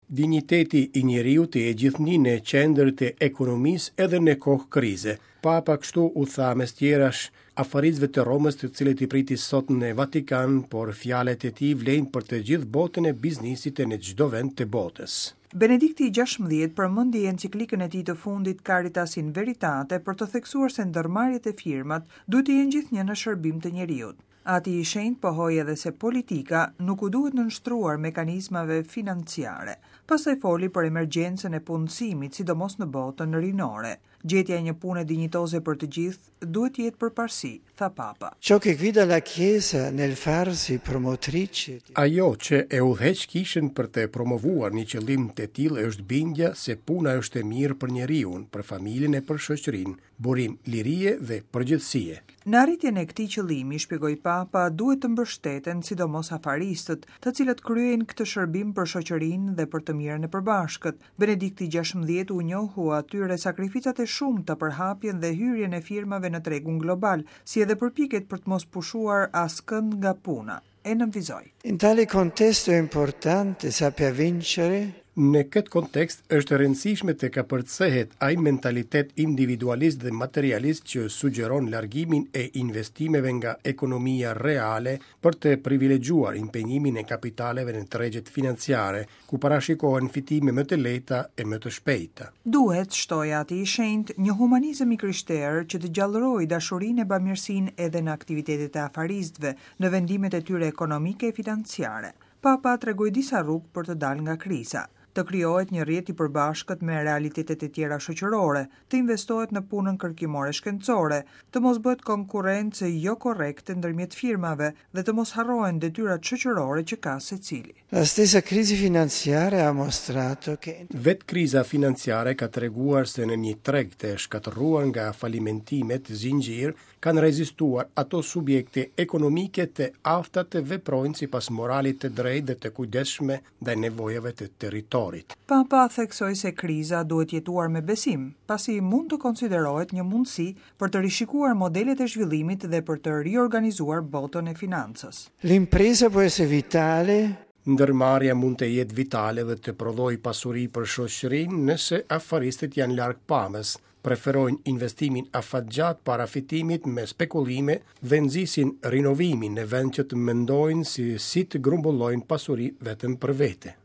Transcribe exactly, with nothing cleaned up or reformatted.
Dinjiteti i njeriut të jetë gjithnjë në qendër të ekonomisë edhe në kohë krize. Papa kështu u tha mes tjerash afaristëve të Romës, të cilët i priti sot në Vatikan, por fjalët e tij vlejnë për të gjithë botën e biznesit e në çdo vend të botës. Benedikti i gjashtëmbëdhjetë përmendi enciklikën e tij të fundit Caritas in Veritate për të theksuar se ndërmarrjet e firmat duhet të jenë gjithnjë në shërbim të njeriut. Ati i Shenjtë pohoi edhe se politika nuk u duhet nënshtruar mekanizmave financiare. Pastaj foli për emergjencën e punësimit, sidomos në botën rinore. Gjetja e një pune dinjitoze për të gjithë duhet të jetë përparësi, tha Papa. Ciò che guida la Chiesa nel farsi promotrice Ajo që e udhëheq kishën për të promovuar një qëllim të tillë është bindja se puna është e mirë për njeriun, për familjen e për shoqërinë, burim lirie dhe përgjithësie. Në arritjen e këtij qëllimi, shpjegoi Papa, duhet të mbështeten sidomos afaristët, të cilët kryejnë këtë shërbim për shoqërinë dhe për të mirën e përbashkët. Benedikti i gjashtëmbëdhjetë u njohu atyre sakrificat e shumta për hapjen dhe hyrjen e firmave në tregun global, si edhe përpjekjet për të mos pushuar askënd nga puna. E nënvizoi. In tale contesto è importante saper vincere. Në këtë kontekst është e rëndësishme të kapërcehet ai mentalitet individualist dhe materialist që sugjeron largimin e investimeve nga ekonomia reale për të privilegjuar impenjimin e kapitaleve në tregjet financiare, ku parashikohen fitime më të lehta e më të shpejta. Duhet, shtoi Ati i Shenjtë, një humanizëm i krishterë që të gjallërojë dashurinë e bamirësinë edhe në aktivitetet e afaristëve, në vendimet e tyre ekonomike e financiare. Papa tregoi disa rrugë për të dalë nga kriza. Të krijohet një rrjet i përbashkët me realitetet e tjera shoqërore, të investohet në punën kërkimore shkencore, të mos bëhet konkurrencë jo korrekte ndërmjet firmave dhe të mos harrohen detyrat shoqërore që ka secili. La stessa crisi finanziaria ha mostrato che Vetë kriza financiare ka treguar se në një treg të shkatërruar nga falimentimet zinxhir kanë rezistuar ato subjekte ekonomike të afta të veprojnë sipas moralit të drejtë dhe të kujdesshme ndaj nevojave të territorit. Papa theksoi se kriza duhet jetuar me besim, pasi mund të konsiderohet një mundësi për të rishikuar modelet e zhvillimit dhe për të riorganizuar botën e financës. L'impresa può essere vitale. Ndërmarrja mund të jetë vitale dhe të prodhojë pasuri për shoqërinë nëse afaristët janë larg pamës, preferojnë investimin afatgjat para fitimit me spekulime dhe nxisin rinovimin në vend që të mendojnë si, si të grumbullojnë pasuri vetëm për vete.